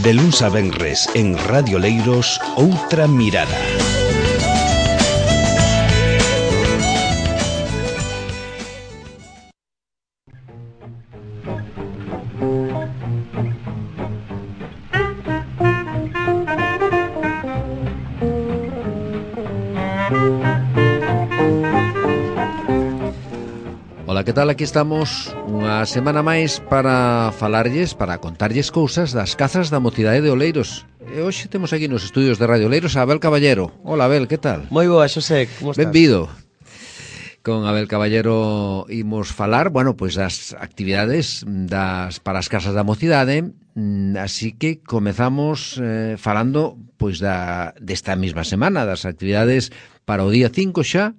De luns a venres en Radio Leiros, Outra Mirada. Ola, que tal? Aquí estamos unha semana máis para falarlles, para contarlles cousas das cazas da mocidade de Oleiros. E hoxe temos aquí nos estudios de Radio Oleiros a Abel Caballero. Ola, Abel, que tal? Moi boa, Xosé, como estás? Benvido. Con Abel Caballero imos falar, bueno, pois das actividades para as casas da mocidade, así que comezamos falando pois desta mesma semana, das actividades para o día 5 xa.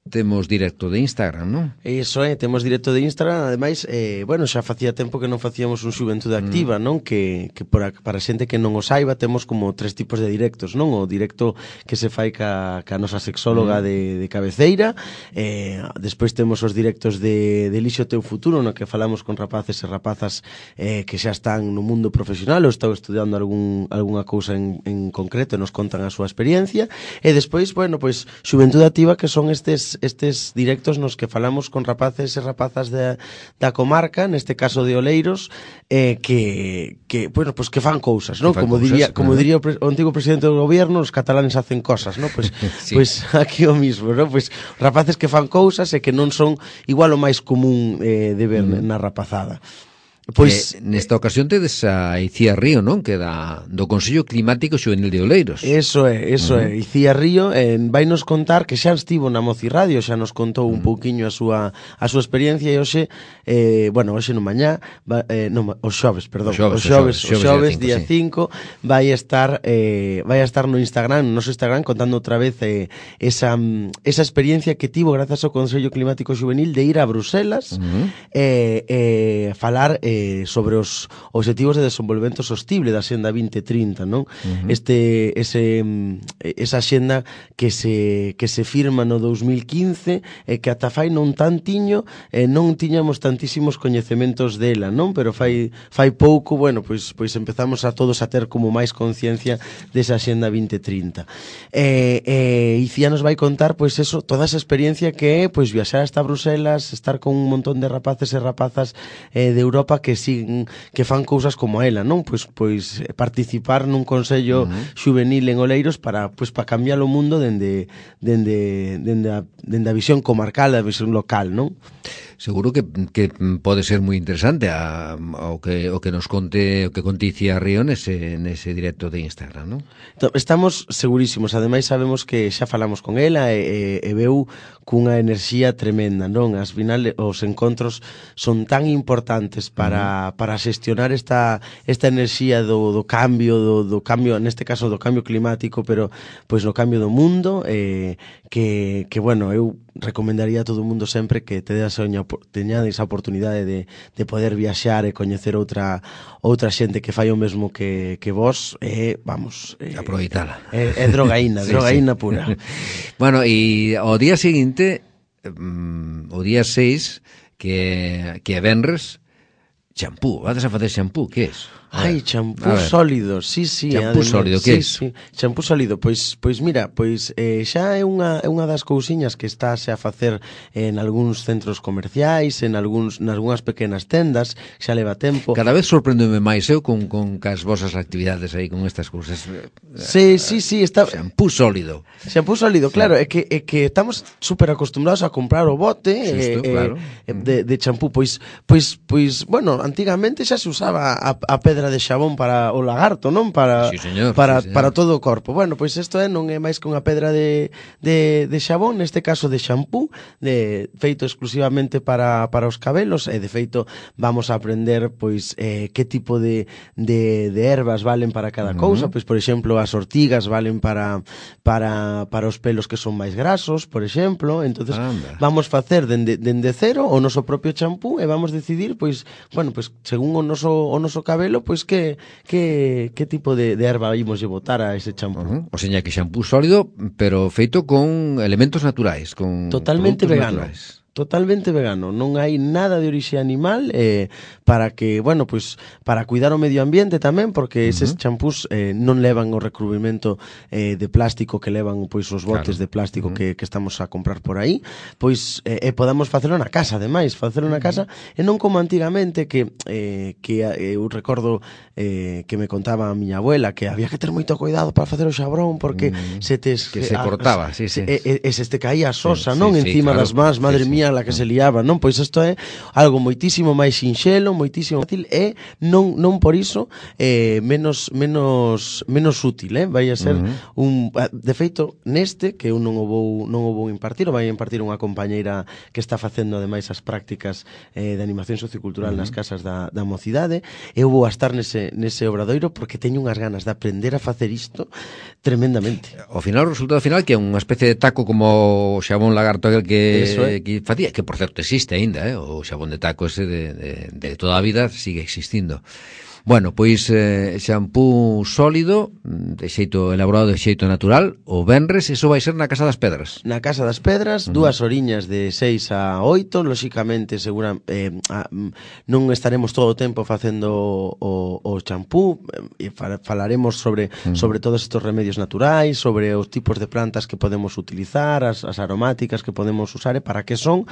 Temos directo de Instagram, non? Iso temos directo de Instagram. Ademais, bueno, xa facía tempo que non facíamos un Xuventude Activa, non? Que para xente que non o saiba, temos como 3 tipos de directos, non? O directo que se fai ca nosa sexóloga de cabeceira, despois temos os directos de Elixo teu futuro, no que falamos con rapaces e rapazas que xa están no mundo profesional ou están estudiando algunha cousa en concreto e nos contan a súa experiencia. E despois, bueno, pois Xuventude Activa, que son estes directos nos que falamos con rapaces e rapazas da comarca, neste caso de Oleiros, que bueno, pues que fan cousas, non? Como diría o antigo presidente do gobierno, os catalanes hacen cosas, non? Pues sí. Pues aquí o mismo, non? Pues rapaces que fan cousas e que non son igual o máis común de ver na rapazada. Pois nesta ocasión tedes a Icía Río, non? Que do Consello Climático Xuvenil de Oleiros. Eso é. Icía Río vai nos contar que xa estivo na Mocirradio, xa nos contou un pouquiño a súa experiencia e hoxe, bueno, hoxe no mañá, os xoves, día 5, vai estar no Instagram, no noso Instagram, contando outra vez esa experiencia que tivo grazas ao Consello Climático Xuvenil de ir a Bruselas falar sobre os obxectivos de desenvolvemento sostible da Axenda 2030, non? Esa axenda que se firma no 2015 e que ata fai non tantiño non tiñamos tantísimos coñecementos dela, non? Pero fai pouco, bueno, pois empezamos a todos a ter como máis conciencia desa Axenda 2030. Icía nos vai contar, pois eso, toda esa experiencia que é, pois viaxar hasta Bruselas, estar con un montón de rapaces e rapazas de Europa que fan cousas como ela, non? Pois participar nun consello xuvenil en Oleiros para cambiar o mundo dende a visión comarcal, a visión local, non? Seguro que pode ser moi interesante o que nos conte, o que conte Icía Río nese directo de Instagram, non? Estamos segurísimos, ademais sabemos que xa falamos con ela e veu cunha enerxía tremenda, non? As final os encontros son tan importantes para xestionar esta enerxía do cambio, neste caso do cambio climático, pero pois no cambio do mundo, que bueno, eu recomendaría a todo o mundo sempre que teñades a oportunidade de poder viaxar e coñecer outra xente que fai o mesmo que vos, vamos, aproveitala. É drogaína pura. Bueno, e ao día seguinte, o día 6, que é venres, champú, vades a facer champú, que é iso? Ai, champú sólido, sí. Champú sólido, que é iso? Sí, champú sólido, pois mira, xa é unha das cousiñas que estáse a facer en algúns centros comerciais, nalgúnas pequenas tendas, xa leva tempo. Cada vez sorpréndome máis eu con cas vosas actividades aí, con estas cousas. Sí, está... Champú sólido. Champú sólido, claro, é que estamos super acostumbrados a comprar o bote claro. de champú, pois, bueno, antigamente xa se usaba a pedra de xabón para o lagarto, non? Para todo o corpo. Bueno, pois isto non é máis que unha pedra de xabón, neste caso de xampú, feito exclusivamente para os cabelos, e de feito vamos a aprender pois que tipo de ervas valen para cada cousa, pois por exemplo, as ortigas valen para os pelos que son máis grasos, por exemplo. Entonces vamos facer dende cero o noso propio champú e vamos decidir, pois, bueno, pois según o noso cabelo, pois que tipo de erva imos lle botar a ese champú. O seña que xampú sólido, pero feito con elementos naturais, con totalmente vegano. Naturais. totalmente vegano, non hai nada de orixe animal, para que, bueno, pois para cuidar o medio ambiente tamén, porque eses champús non levan o recubrimento de plástico que levan pois os botes de plástico que estamos a comprar por aí, pois podamos facelo na casa, ademais, facelo na casa e non como antigamente que eu recordo que me contaba a miña abuela que había que ter moito cuidado para facer o xabrón porque se cortaba, sí. E se te caía a sosa, non? Encima das mans, madre mía, la que se liaba, non? Pois isto é algo moitísimo máis sinxelo, moitísimo fácil e non por iso menos útil, vai a ser de feito neste que eu non o vou impartir, o vai impartir unha compañeira que está facendo ademais as prácticas de animación sociocultural nas casas da mocidade. Eu vou a estar nese obradoiro porque teño unhas ganas de aprender a facer isto tremendamente. O final, o resultado final que é unha especie de taco como o xabón lagarto aquel que facía, que por certo existe aínda, o xabón de taco ese de toda a vida sigue existindo. Bueno, pois xampú sólido, de xeito elaborado de xeito natural, o venres, iso vai ser na Casa das Pedras. Na Casa das Pedras, 2 horiñas de 6 a 8, lóxicamente non estaremos todo o tempo facendo o champú, falaremos sobre todos estes remedios naturais, sobre os tipos de plantas que podemos utilizar, as aromáticas que podemos usar e para que son,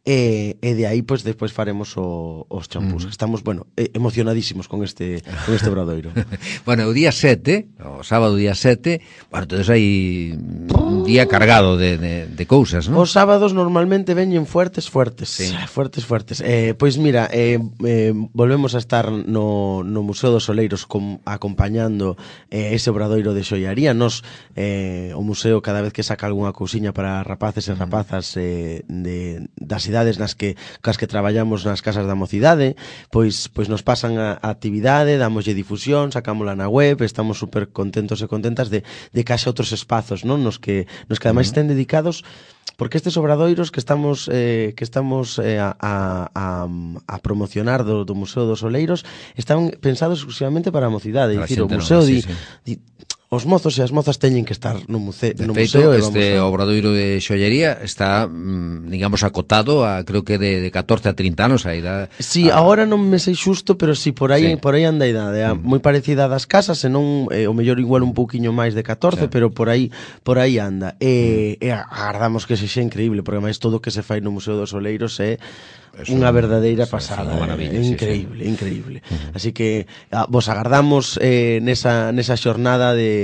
e de aí, pois, despois faremos os champús. Estamos, bueno, emocionadísimos con este obradoiro. Bueno, o día 7, o sábado día 7, bueno, entonces hai un día cargado de cousas, non? Os sábados normalmente veñen fuertes. Sí. Fuertes. Pois mira, volvemos a estar no Museo dos Oleiros acompañando ese obradoiro de xoiaría. Nos, o museo cada vez que saca algunha cousiña para rapaces e rapazas das idades cas que traballamos nas casas da mocidade, pois nos pasan a actividade, damoslle difusión, sacámola na web, estamos super contentos e contentas de que haxa outros espazos, non? Nos que ademais estén dedicados, porque estes obradoiros que estamos a promocionar do Museo dos Oleiros están pensados exclusivamente para a mocidade, dicir, o museo os mozos e as mozas teñen que estar no museo. De feito, este obradoiro de xollería está, digamos, acotado a, creo que de 14 a 30 anos a idade. Si, agora non me sei xusto, pero si por aí anda a idade, moi parecida das casas, e non o mellor igual un pouquiño máis de 14, pero por aí anda. E agardamos que sexa increíble, porque máis todo o que se fai no Museo dos Oleiros é unha verdadeira pasada, increíble. Así que vos agardamos nesa xornada de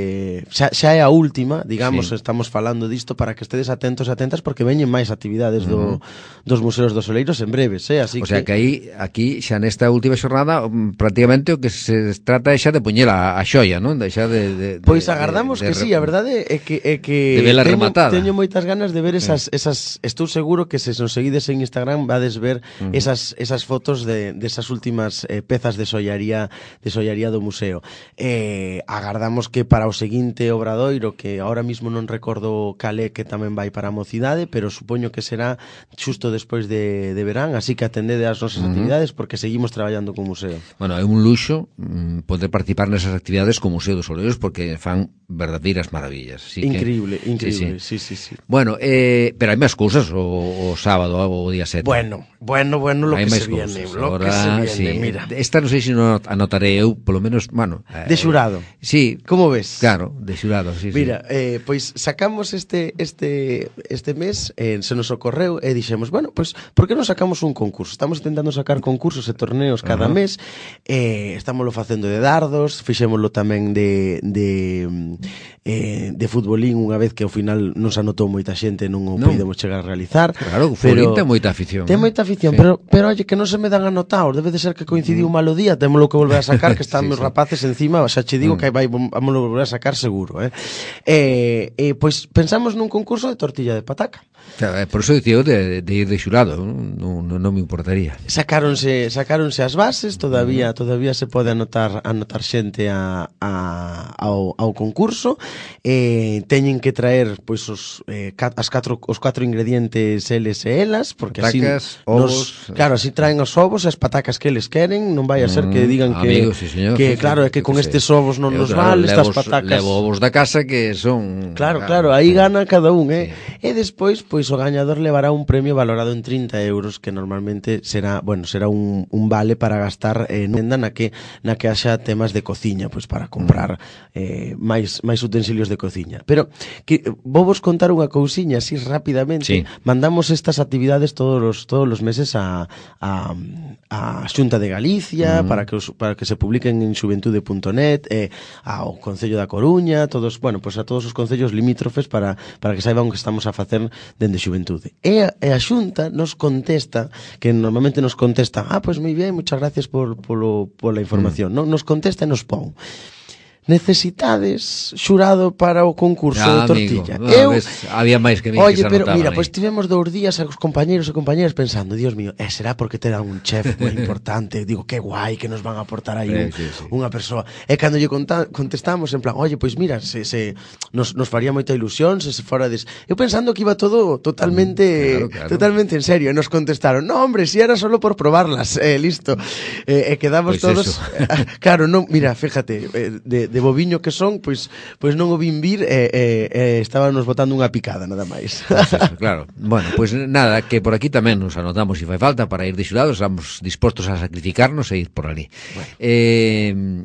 xa é a última, digamos, estamos falando disto para que estedes atentos e atentas porque veñen máis actividades dos Museos dos Oleiros en breves, así o sea que aquí xa nesta última xornada prácticamente o que se trata é xa de poñer a xoia, non? Pois agardamos que sí, a verdade é que teño moitas ganas de ver esas, estou seguro que se nos seguides en Instagram vades ver esas fotos de esas últimas pezas de xollaría do museo. Agardamos que para o seguinte obradoiro, que ahora mismo non recordo calé, que tamén vai para a mocidade, pero supoño que será xusto despois de verán, así que atendede as nosas actividades porque seguimos traballando co museo. Bueno, é un luxo poder participar nesas actividades co Museo dos Oleiros porque fan verdadeiras maravillas. Increíble. Sí. Bueno, pero hai máis cousas o sábado, o día 7. Bueno, lo que se viene, mira. Esta non sei se non anotaré eu, polo menos, bueno... de xurado. Sí. Como ves? Claro, de xurado, sí. Mira, pois sacamos este mes, se nos ocorreu, e dixemos, bueno, pois, por que non sacamos un concurso? Estamos intentando sacar concursos e torneos cada mes, estámoslo facendo de dardos, fixémoslo tamén de futbolín unha vez que ao final nos anotou moita xente, non o podemos chegar a realizar. Claro, o futbolín ten moita afición. Ten moita afición, pero oye, que non se me dan anotados, debe de ser que coincidiu un malo día, témolo que volver a sacar, que están meus rapaces encima, xa che digo que vámoslo volver a sacar seguro, pois pensamos nun concurso de tortilla de pataca. Claro, por eso dicía de ir de xurado, non me importaría. Sacaronse as bases, todavía se pode anotar xente ao concurso, teñen que traer pois os 4 ingredientes eles e elas, porque patacas, así claro, así traen os ovos e as patacas que eles queren, non vai a ser que digan amigo, sí, señor, que sí, claro, é que con estes ovos non nos vale, estas patacas. Levo ovos da casa que son... Claro, aí gana cada un, sí. E despois, pois, o gañador levará un premio valorado en 30 euros, que normalmente será un vale para gastar nunha tenda na que haxa temas de cociña, pois para comprar máis utensilios de cociña. Pero que vou vos contar unha cousiña así rapidamente. Sí. Mandamos estas actividades todos os meses a Xunta de Galicia para que se publiquen en xuventude.net, ao Concello da Coruña, a todos os concellos limítrofes para que saiban o que estamos a facer dende Xuventude. E a Xunta nos contesta, que normalmente nos contesta, pois moi ben, muchas gracias pola información. Non nos contesta e nos pon: necesitades xurado para o concurso de tortilla. Había máis que Oye, pero mira, pois tivemos 2 días os compañeros e compañeras pensando, Dios mío, será porque terán un chef moi importante, digo, que guai que nos van a aportar aí unha persoa. E cando lle contestamos en plan, oye, pois mira, se nos faría moita ilusión se forades. Eu pensando que iba todo totalmente en serio, e nos contestaron, no, hombre, si era solo por probarlas, listo. E quedamos pues todos claro, non, mira, fíjate, de boviño que son, pois non o vin vir estábamos botando unha picada, nada máis. Pues eso, claro. Bueno, pois nada, que por aquí tamén nos anotamos se fai falta para ir de xurados, estamos dispostos a sacrificarnos e ir por ali.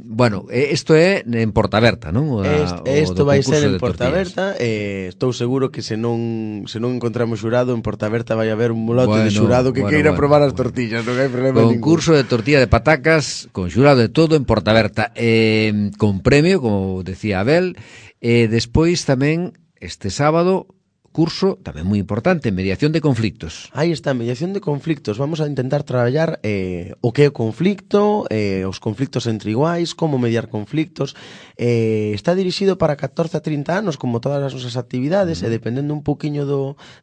Bueno, isto é en Portaberta, non? Isto vai ser en Portaberta, estou seguro que se non encontramos xurado en Portaberta vai haber un lote de xurado que queira probar as tortillas, non hai problema ningún. Concurso de tortilla de patacas con xurado de todo en Portaberta, con premio, como decía Abel, despois tamén este sábado curso tamén moi importante, mediación de conflictos. Aí está, mediación de conflictos. Vamos a intentar traballar o que é o conflicto, os conflictos entre iguais, como mediar conflictos. Está dirixido para 14 a 30 anos, como todas as nosas actividades, e dependendo un poquinho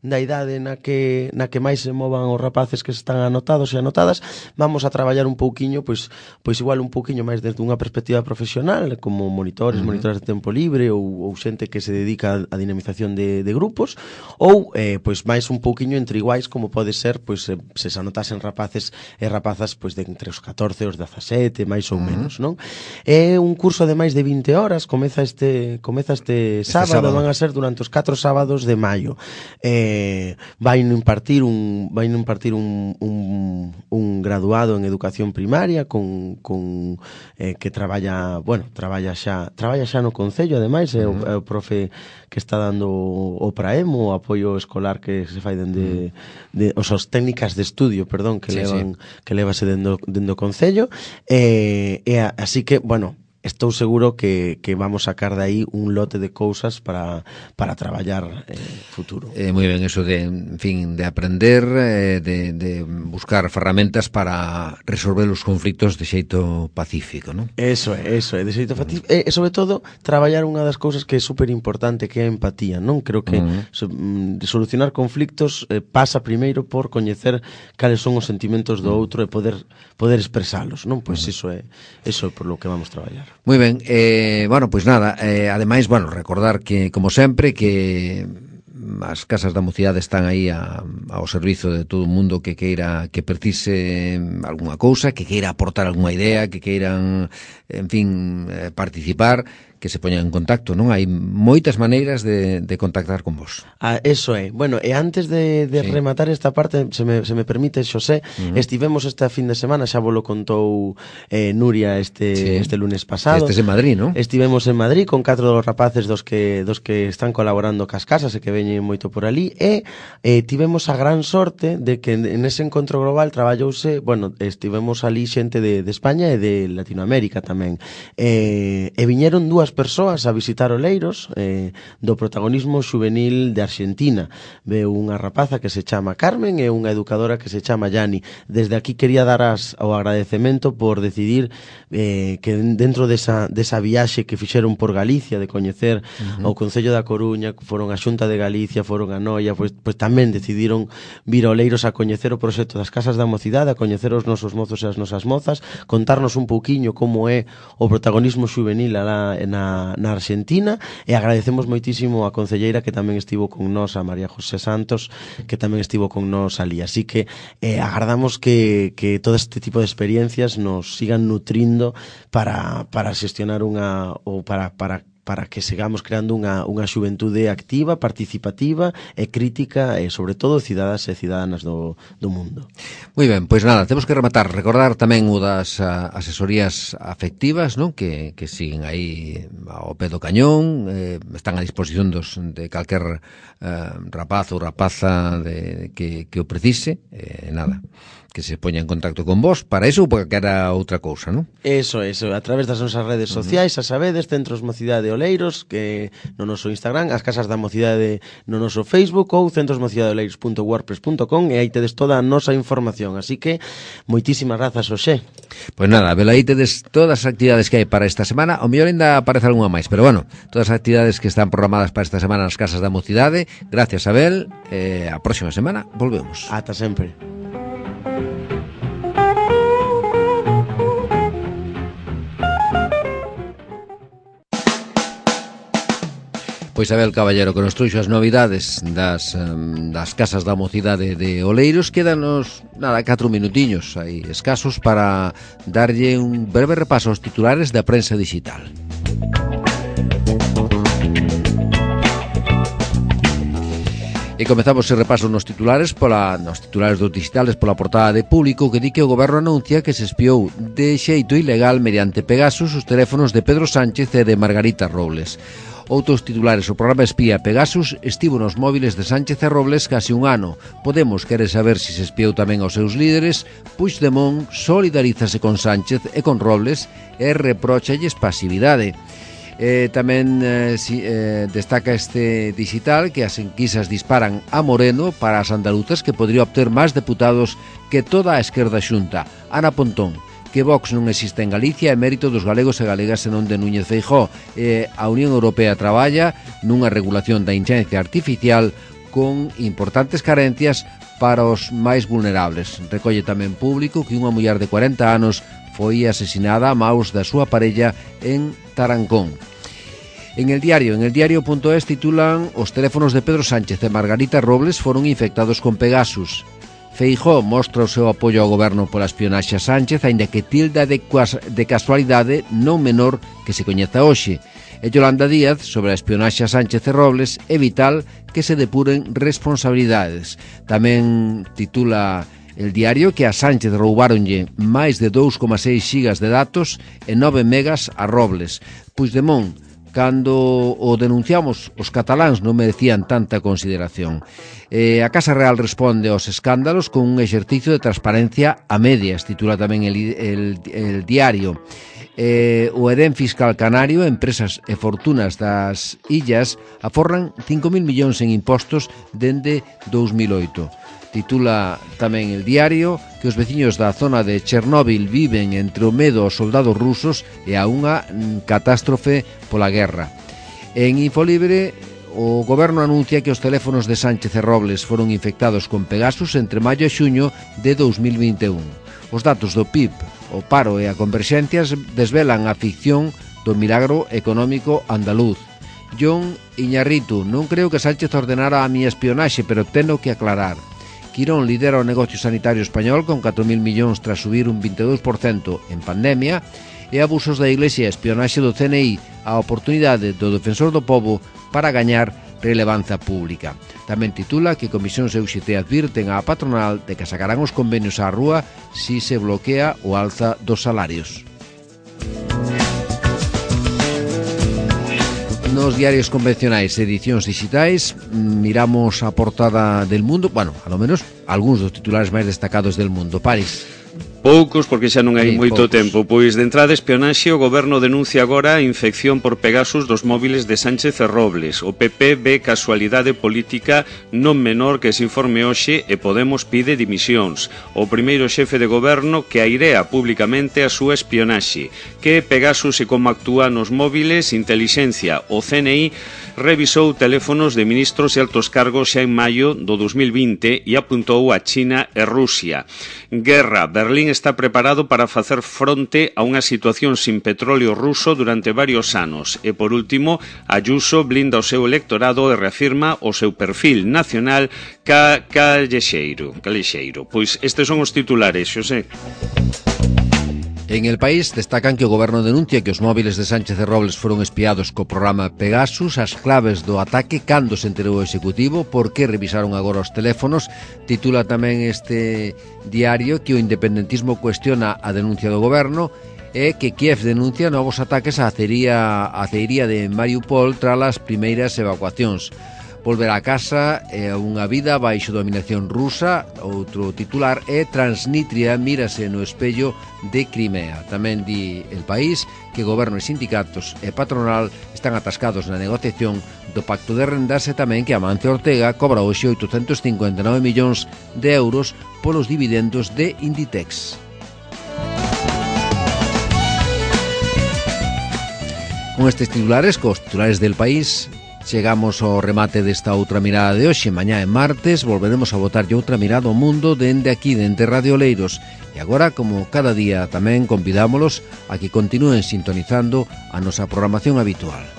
da idade na que máis se movan os rapaces que están anotados e anotadas, vamos a traballar un pouquiño, pois igual un pouquiño máis desde unha perspectiva profesional, como monitores de tempo libre ou xente que se dedica a dinamización de grupos, ou pois máis un pouquiño entre iguais, como pode ser pois se anotasen rapaces e rapazas pois de entre os 14 e os 17, máis ou menos, non? É un curso de máis de 20 horas, comeza este sábado, van a ser durante os 4 sábados de maio. Vai impartir un graduado en educación primaria con que traballa xa no concello, ademais é o profe que está dando o PRAEM, o apoio escolar que se fai dende os técnicas de estudio, perdón, que levase dendo o concello, así que, bueno, estou seguro que vamos sacar de aí un lote de cousas para traballar futuro. Moi ben, eso de, en fin, de aprender, de buscar ferramentas para resolver os conflictos de xeito pacífico, non? Eso é, de xeito pacífico. E, sobre todo, traballar unha das cousas que é super importante, que é a empatía, non? Creo que solucionar conflictos pasa primeiro por coñecer cales son os sentimentos do outro e poder expresalos, non? Pois iso é por lo que vamos traballar. Moi ben, bueno, pois nada, ademais, bueno, recordar que, como sempre, que as casas da mocidade están aí ao servizo de todo o mundo que queira, que precise algunha cousa, que queira aportar algunha idea, que queiran, en fin, participar, que se poñan en contacto, non? Hai moitas maneiras de contactar con vos. Eso é. Bueno, e antes de rematar esta parte, se me permite, Xosé, estivemos esta fin de semana, xa vos lo contou Nuria este lunes pasado. Estes en Madrid, non? Estivemos en Madrid con 4 dos rapaces dos que están colaborando cas casas e que veñen moito por ali, e tivemos a gran sorte de que en ese encontro global traballouse, bueno, estivemos ali xente de España e de Latinoamérica tamén. E viñeron 2 persoas a visitar Oleiros do protagonismo xuvenil de Argentina. Veu unha rapaza que se chama Carmen e unha educadora que se chama Yani. Desde aquí quería dar o agradecemento por decidir que dentro desa viaxe que fixeron por Galicia, de coñecer o Concello da Coruña, foron a Xunta de Galicia, foron a Noia, pois tamén decidiron vir a Oleiros a coñecer o proxecto das Casas da Mocidade, a coñecer os nosos mozos e as nosas mozas, contarnos un pouquiño como é o protagonismo xuvenil alá na na Argentina, e agradecemos moitísimo a concelleira que tamén estivo con nós, a María José Santos, que tamén estivo con nós ali. Así que agardamos que todo este tipo de experiencias nos sigan nutrindo para xestionar ou para que sigamos creando unha xuventude activa, participativa e crítica e, sobre todo, cidadás e cidadánas do mundo. Moi ben, pois nada, temos que rematar. Recordar tamén o das asesorías afectivas, non? Que siguen aí ao pé do cañón, están a disposición de calquer rapaz ou rapaza que o precise, nada, que se poña en contacto con vos para eso ou para que era outra cousa, non? Eso, a través das nosas redes sociais, a sabedes, Centros Mocidade Oleiros, que no noso Instagram, as Casas da Mocidade no noso Facebook ou centrosmocidadeoleiros.wordpress.com, e aí tedes toda a nosa información, así que moitísimas grazas, Xosé. Pois nada, vela aí tedes todas as actividades que hai para esta semana, ao mellor ainda aparece algunha máis, pero bueno, todas as actividades que están programadas para esta semana nas Casas da Mocidade. Gracias, Abel, a próxima semana volvemos. Ata sempre. Pois Abel Caballero, que nos trouxo as novidades das Casas da Mocidade de Oleiros. Quédanos, 4 minutiños aí escasos para darlle un breve repaso aos titulares da prensa digital. E comezamos ese repaso nos titulares dos digitales pola portada de Público, que di que o goberno anuncia que se espiou de xeito ilegal mediante Pegasus os teléfonos de Pedro Sánchez e de Margarita Robles. Outros titulares: o programa espía Pegasus estivo nos móviles de Sánchez e Robles case un ano. Podemos quere saber se espiou tamén aos seus líderes. Puigdemont solidarízase con Sánchez e con Robles e repróchalles pasividade. Tamén destaca este digital que as enquisas disparan a Moreno para as andaluzas, que podría obter máis deputados que toda a esquerda xunta. Ana Pontón: que Vox non existe en Galicia é mérito dos galegos e galegas e non de Núñez Feijóo. A Unión Europea traballa nunha regulación da inteligencia artificial con importantes carencias para os máis vulnerables. Recolle tamén Público que unha muller de 40 anos foi asesinada a maus da súa parella en Tarancón. En el diario.es titulan: os teléfonos de Pedro Sánchez e Margarita Robles foron infectados con Pegasus. Feijóo mostra o seu apoio ao goberno pola espionaxe a Sánchez, aínda que tilda de casualidade non menor que se coñeza hoxe. E Yolanda Díaz, sobre a espionaxe a Sánchez e Robles, é vital que se depuren responsabilidades. Tamén titula el diario que a Sánchez roubáronlle máis de 2,6 xigas de datos e 9 megas a Robles. Puigdemont: cando o denunciamos, os cataláns non merecían tanta consideración. A Casa Real responde aos escándalos con un exercicio de transparencia a medias, titula tamén el diario. O Edén Fiscal Canario, empresas e fortunas das illas aforran 5.000 millóns en impostos dende 2008. Titula tamén el diario que os veciños da zona de Chernóbil viven entre o medo aos soldados rusos e a unha catástrofe pola guerra. En Infolibre, o goberno anuncia que os teléfonos de Sánchez e Robles foron infectados con Pegasus entre maio e xuño de 2021. Os datos do PIB, o paro e a converxencia desvelan a ficción do milagro económico andaluz. John Iñarritu: non creo que Sánchez ordenara a miña espionaxe, pero teno que aclarar. Quirón lidera o negocio sanitario español con 4.000 millóns tras subir un 22% en pandemia. E abusos da Iglesia e espionaxe do CNI, a oportunidade do defensor do pobo para gañar relevancia pública. Tamén titula que Comisións e UGT advirten á patronal de que sacarán os convenios á rúa si se bloquea o alza dos salarios. Nos diarios convencionais e edicións digitais miramos a portada del Mundo, bueno, a lo menos algúns dos titulares máis destacados del Mundo. París. Poucos, porque xa non hai moito tempo. Pois de entrada espionaxe, o goberno denuncia agora a infección por Pegasus dos móviles de Sánchez e Robles. O PP ve casualidade política non menor que se informe hoxe e Podemos pide dimisións. O primeiro xefe de goberno que airea públicamente a súa espionaxe. Que Pegasus e como actúa nos móviles, intelixencia. O CNI revisou teléfonos de ministros e altos cargos xa en maio do 2020 e apuntou a China e Rusia. Guerra. Berlín tamén está preparado para facer fronte a unha situación sin petróleo ruso durante varios anos. E, por último, Ayuso blinda o seu electorado e reafirma o seu perfil nacional calexeiro. Pois estes son os titulares, Xosé. En El País destacan que o goberno denuncia que os móviles de Sánchez e Robles foron espiados co programa Pegasus, as claves do ataque, cando se enterou o Executivo, por que revisaron agora os teléfonos. Titula tamén este diario que o independentismo cuestiona a denuncia do goberno e que Kiev denuncia novos ataques á aceiría de Mariupol tras as primeiras evacuacións. Volver a casa é unha vida baixo dominación rusa. Outro titular é Transnistria mírase no espello de Crimea. Tamén di El País que goberno e sindicatos e patronal están atascados na negociación do pacto de rendas e tamén que Amancio Ortega cobra hoxe 859 millóns de euros polos dividendos de Inditex. Con estes titulares, cos titulares del País, chegamos ao remate desta outra mirada de hoxe. Mañá é martes, volveremos a botarlle outra mirada ao mundo dende aquí, dende Radio Oleiros. E agora, como cada día, tamén convidámolos a que continúen sintonizando a nosa programación habitual.